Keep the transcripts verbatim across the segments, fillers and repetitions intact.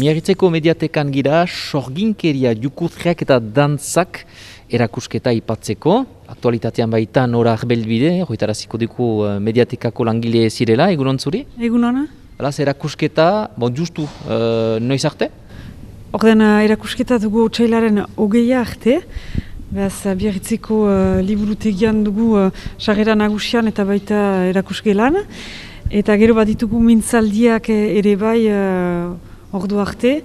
Miarritzeko mediatekan gira, sorginkeria, jukutriak eta dantzak erakusketa ipatzeko. Aktualitatean baita Nora Arbelbide, hoitaraziko dugu mediatekako langile zirela, egunon zuri? Egunon. Alaz, erakusketa, bon, justu, uh, noiz arte? Orden erakusketa dugu otsailaren hogeia arte. Beaz, Biarritzeko uh, liburutegian dugu uh, sarrera nagusian eta baita erakusgelan. Eta gero bat ditugu mintzaldiak ere bai uh, ordu arte.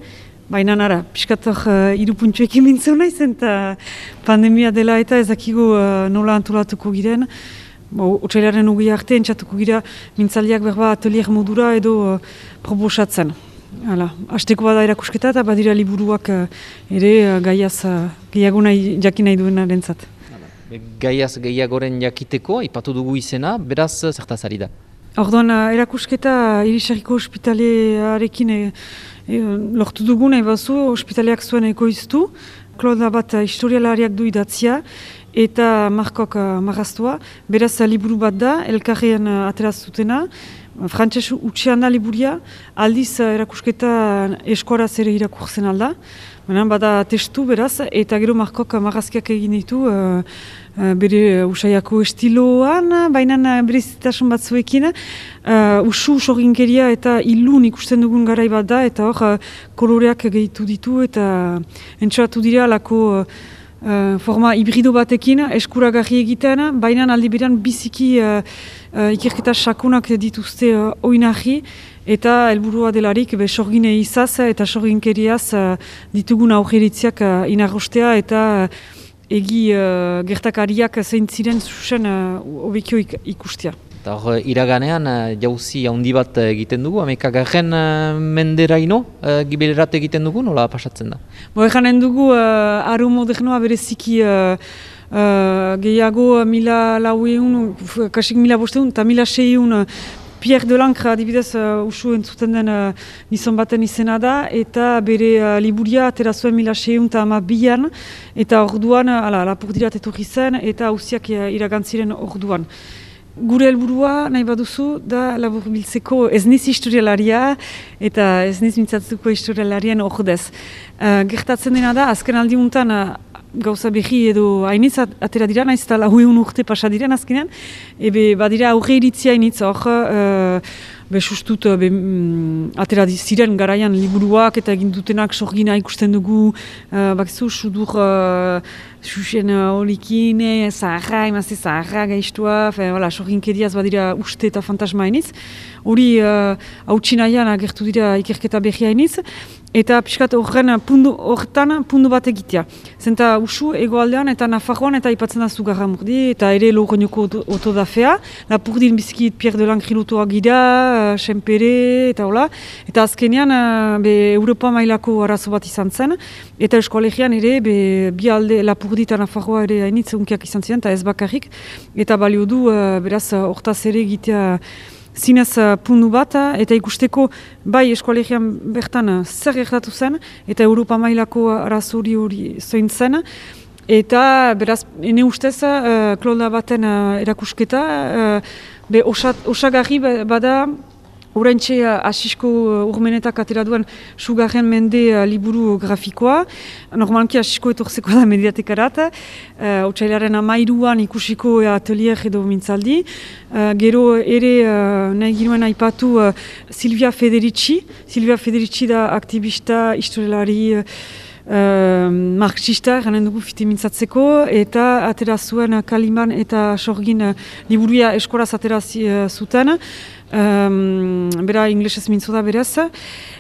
Baina nara, piskator uh, irupuntxoekin mintzeu naiz, eta pandemia dela eta ezakigu uh, nola antolatuko giren. Otsailaren hogeia arte entzatuko gira mintzaldiak berba atelier modura edo uh, proposatzen. Hala, hasteko bada erakusketa eta badira liburuak uh, ere uh, gaiaz uh, gehiago nahi, jakin nahi duenarentzat. Gaiaz gehiagoren jakiteko, ipatu dugu izena, beraz zertaz ari da? Orduan, uh, erakusketa Irisarriko ospitalearekin e, e, lortu dugu nahi bazu, ospitaleak zuen ekoiztu. Claude bat uh, historialariak du idatzia eta Markok uh, marraztua. Beraz, uh, liburu bat da, elkarrean uh, ateraz zutena. Frantses utxean da liburia, aldiz uh, erakusketa eskuaraz ere irakurtzen alda. Baina bada testu beraz, eta gero Markok marrazkiak egin ditu uh, uh, bere uh, usaiako estiloan, baina berezitasun batzuekin. Uh, usu sorginkeria eta ilun ikusten dugun garai bat da, eta hor uh, koloreak gehitu ditu, eta entxoratu dira lako uh, uh, forma hibrido batekin, eskuragarri egiten, baina aldi berean biziki uh, uh, ikerketa sakonak dituzte uh, oinarri, eta helburua delarik be sorgine izaz eta sorginkeriaz uh, ditugun aurreritziak uh, inarrostea eta uh, egi uh, gertakariak zein ziren zuzen hobekio uh, ikustea. Eta hor, iraganean uh, jauzi handi bat egiten dugu, amekagarren uh, menderaino uh, giberat egiten dugu, nola pasatzen da? Bo, eganen dugu uh, aro modernoa bereziki uh, uh, gehiago mila laueun, kasik mila bosteun eta mila seiun uh, Pierre Delancre adibidez uh, usu entzuten den uh, gizon baten izena da, eta bere uh, liburia atera zuen mila seiehun eta hamabian, eta orduan uh, lapurdirat etorri zen, eta hauziak uh, iragantziren orduan. Gure helburua nahi baduzu da laburbiltzeko ez niz historialaria eta ez niz mintzatuko historialarien ordez. Uh, gertatzen dena da, azken aldi untan uh, gauza behi edo hainitz atera dira, nahiz eta lahueun urte pasa diren azkenean, ebe badira aurre iritzia hainitz hor, uh, be sustut be, mm, atera ziren garaian liburuak eta egin dutenak sorgina ikusten dugu, uh, bakizu, sudur uh, susen uh, olikine, zaharra, emazte zaharra gaiztua, voilà, sorginkeriaz badira uste eta fantasma hainitz. Hori uh, hautsi nahian agertu dira ikerketa behi hainitz, eta pixkat horren pundu, horretan pundu bat egitea. Zenta usu egoaldean eta Nafarroan eta ipatzen da Zugarramurdi, eta ere Logronoko otodafea, Lapurdin bizikit Pierre Delancre lotuak gira, uh, Senpere, eta hola. Eta azkenean, uh, be, Europa mailako arazo bat izan zen, eta eskoalegian ere, be, bi alde Lapurdi eta Nafarroa ere hainitz unkiak izan ziren, eta ez bakarrik, eta balio du, uh, beraz, hortaz ere egitea zinez uh, pundu bat, eta ikusteko bai eskoalegian bertan zer gertatu zen, eta Europa mailako arazori hori zoin zen, eta beraz, ene ustez, uh, Claude baten uh, erakusketa, uh, be osagarri bada, oraintxe Asisko uh, urmenetak atera duen sugarren mende uh, liburu grafikoa. Normalki Asisko etorzeko da mediatekarat. Uh, Otsailaren amairuan ikusiko atelier edo mintzaldi. Uh, gero ere uh, nahi ginuen aipatu uh, Silvia Federici. Silvia Federici da aktivista, historialari, Uh, marxista, ganen dugu fite mintzatzeko, eta atera zuen Kaliman eta Sorgin uh, liburuia eskoraz atera uh, zuten, um, bera inglesez mintzo da berez,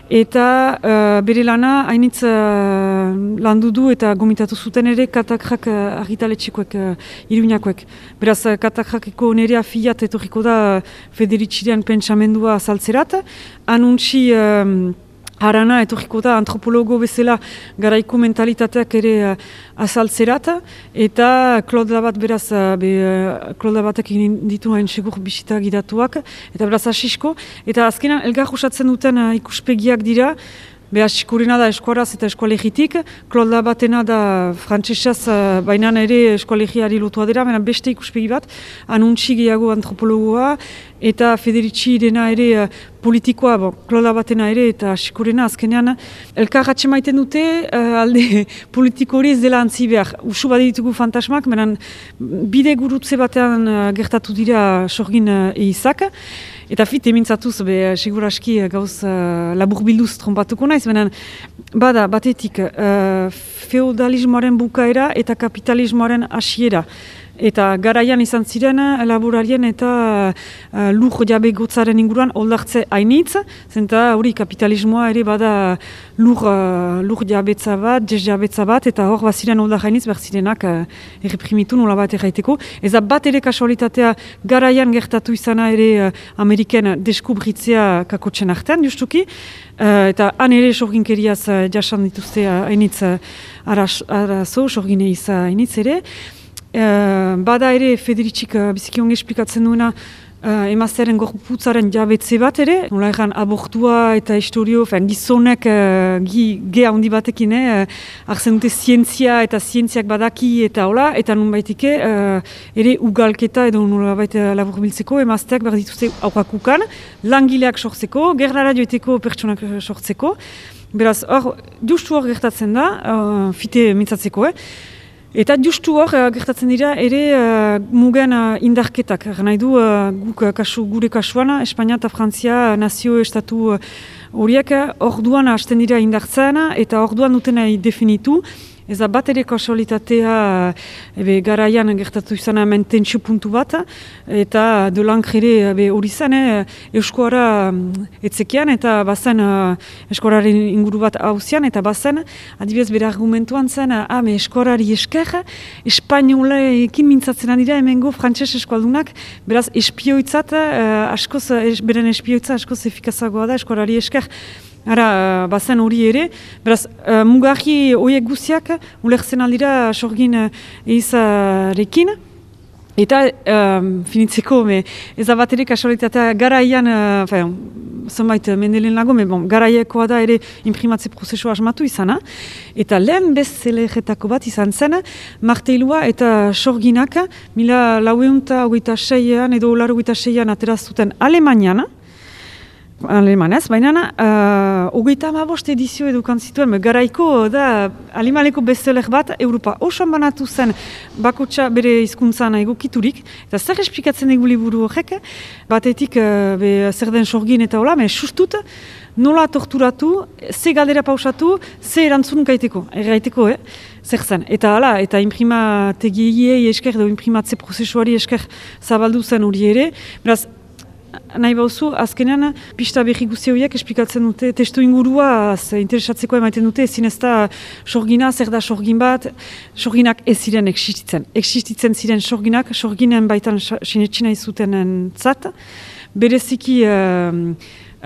eta uh, bere lana hainitz uh, landu du eta gomitatu zuten ere Katakrak uh, argitaletxekoek, uh, iruñakoek. Beraz, uh, Katakrakeko nerea fiat etorriko da uh, Federiciren pentsamendua azaltzerat, anuntzi um, Harana etorriko da antropologo bezala garaiko mentalitateak ere uh, azaltzerat, eta Claude bat beraz, uh, be, uh, Claude batek egin ditu hain segur bisita gidatuak, eta beraz asisko, eta azkenan elgar usatzen duten uh, ikuspegiak dira, be asikurena da eskuaraz eta eskualegitik, Claude batena da frantsesaz, uh, baina ere eskualegiari lotua dira, baina beste ikuspegi bat, anuntzi gehiago antropologoa, eta Federici dena ere uh, politikoa, bon, klola batena ere, eta Sikorena azkenean, elkar atxemaiten dute, uh, alde politiko hori ez dela antzi behar. Usu baditugu fantasmak, menan bide gurutze batean uh, gertatu dira sorgin uh, eizak, eta fit emintzatuz, be, seguraski gauz uh, labur bilduz trompatuko naiz, menan bada, batetik, uh, feudalismoaren bukaera eta kapitalismoaren hasiera. Eta garaian izan ziren laborarien eta uh, lur jabe gotzaren inguruan oldartze hainitz, zenta hori kapitalismoa ere bada lur, uh, lur jabetza bat, jez jabetza bat, eta hor baziren oldar hainitz behar zirenak uh, erreprimitu nola bat erraiteko. Eza bat ere kasualitatea garaian gertatu izana ere uh, Ameriken deskubritzea kakotzen artean, justuki, uh, eta han ere sorginkeriaz uh, jasan dituzte hainitz uh, arazo, sorgine iza hainitz ere. Uh, bada ere Federicik uh, biziki onge esplikatzen duena uh, emaztearen gorputzaren jabetze bat ere, nola egan abortua eta historio, fen, gizonek uh, gi, ge handi batekin, eh, arzen dute zientzia eta zientziak badaki eta hola, eta nun baitike uh, ere ugalketa edo nola baita labur biltzeko, emazteak behar dituzte aurrakukan, langileak sortzeko, gerrara joeteko pertsonak sortzeko, beraz hor, justu hor gertatzen da, uh, fite mintzatzeko, eh, eta justu hor, uh, gertatzen dira ere uh, mugen uh, indarketak. Nahi du, uh, guk, uh, kasu, gure kasuan, Espainia eta Frantzia uh, nazio estatu horiek uh, orduan hasten dira indartzen eta orduan dutena definitu. Ez da bat ere kasualitatea ebe, garaian gertatu izan hemen tentsio puntu bat, eta de lankre ere hori zen, eh, euskoara etzekian, eta bazen uh, eskoararen inguru bat hauzian, eta bazen, adibidez bere argumentuan zen, ah, me eskoarari esker, espainolekin mintzatzen dira hemengo frantses eskualdunak, beraz espioitzat, uh, askoz, es, beren espioitza askoz efikazagoa da eskoarari esker. Ara, bazen hori ere, beraz, uh, mugarri horiek guziak, ulertzen aldira sorgin uh, eizarekin, eta um, finitzeko, me, ez da bat ere kasualitatea garaian, uh, fein, zonbait mendelen lago, me bon, garaiakoa da ere imprimatze prozesu asmatu izana, eta lehen bestsellerretako bat izan zen, marteilua eta sorginak, mila laueunta hogeita seian edo laro hogeita seian ateraztuten Alemanian, Alemanez, baina uh, hogeita hamabost edizio edukan zituen, garaiko da alemaneko bestseller bat Europa osoan banatu zen bakotsa bere hizkuntzan egokiturik, eta zer esplikatzen egu liburu horrek, batetik uh, be, zer den sorgin eta hola, me sustut nola torturatu, ze galdera pausatu, ze erantzun gaiteko, erraiteko, eh? Zer zen. Eta hala, eta imprimategiei esker, edo imprimatze prozesuari esker zabaldu zen hori ere, beraz, nahi bauzu, azkenean, pista berri guzti horiek esplikatzen dute, testu ingurua interesatzeko emaiten dute, ezin ez da sorgina, zer da sorgin bat, sorginak ez ziren existitzen. Existitzen ziren sorginak, sorginen baitan sinetxina izutenen zat, bereziki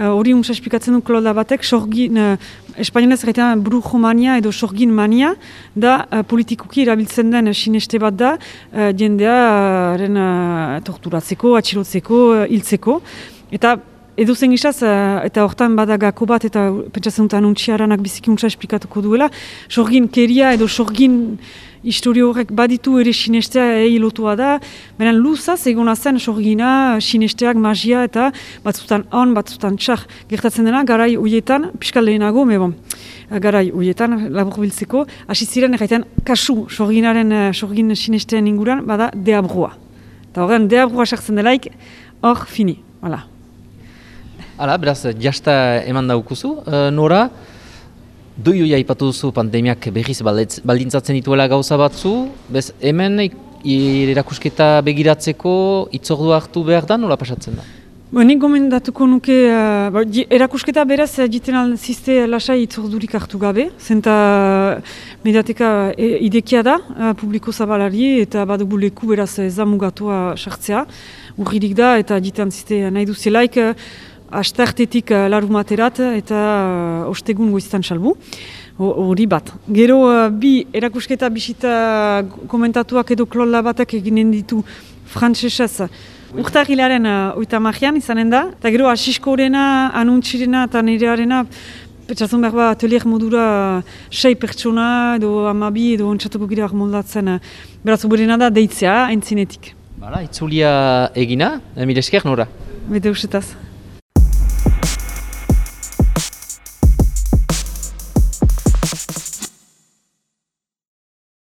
hori uh, untsa esplikatzen du kloda batek, sorgin, uh, espainolez gaitean brujomania edo sorgin mania, da uh, politikoki erabiltzen den sineste bat da, uh, jendearen uh, torturatzeko, atxilotzeko, uh, hiltzeko, eta edo zen gizaz, uh, eta hortan badagako bat, eta pentsatzen dut anuntziaranak biziki untsa esplikatuko duela, sorgin keria edo sorgin historio horrek baditu ere sinestea egi lotua da, benen luzaz egona zen sorgina, sinesteak, magia eta batzutan on, batzutan txar. Gertatzen dena, garai hoietan, piskal lehenago, me bon, garai hoietan, labur biltzeko, hasi ziren erraiten kasu sorginaren, sorgin sinesteen inguran, bada deabrua. Eta horren deabrua sartzen delaik, hor fini, hala. Hala, beraz, jasta eman daukuzu, uh, Nora, doioia ipatu duzu pandemiak berriz baldintzatzen dituela gauza batzu, bez hemen erakusketa begiratzeko itzordua hartu behar da, nola pasatzen da? Bo, nik gomendatuko nuke, uh, erakusketa beraz jiten alzizte lasai itzordurik hartu gabe, zenta mediateka e, idekia da, uh, publiko zabalari eta badugu leku beraz ez da mugatua sartzea, urririk da eta jiten alzizte nahi duzelaik, uh, astartetik uh, larumaterat eta uh, ostegun goiztan salbu, hori bat. Gero uh, bi erakusketa bisita komentatuak edo klola batak eginen ditu frantsesez urtarrilaren uh, oita marian izanen da, eta gero asiskorena, anuntzirena eta nirearena petxatzen behar ba atelier modura sei pertsona edo amabi edo ontsatuko gira moldatzen, uh, beraz oberena da deitzea, aintzinetik. Bala, itzulia egina, mire esker, Nora? bete usetaz.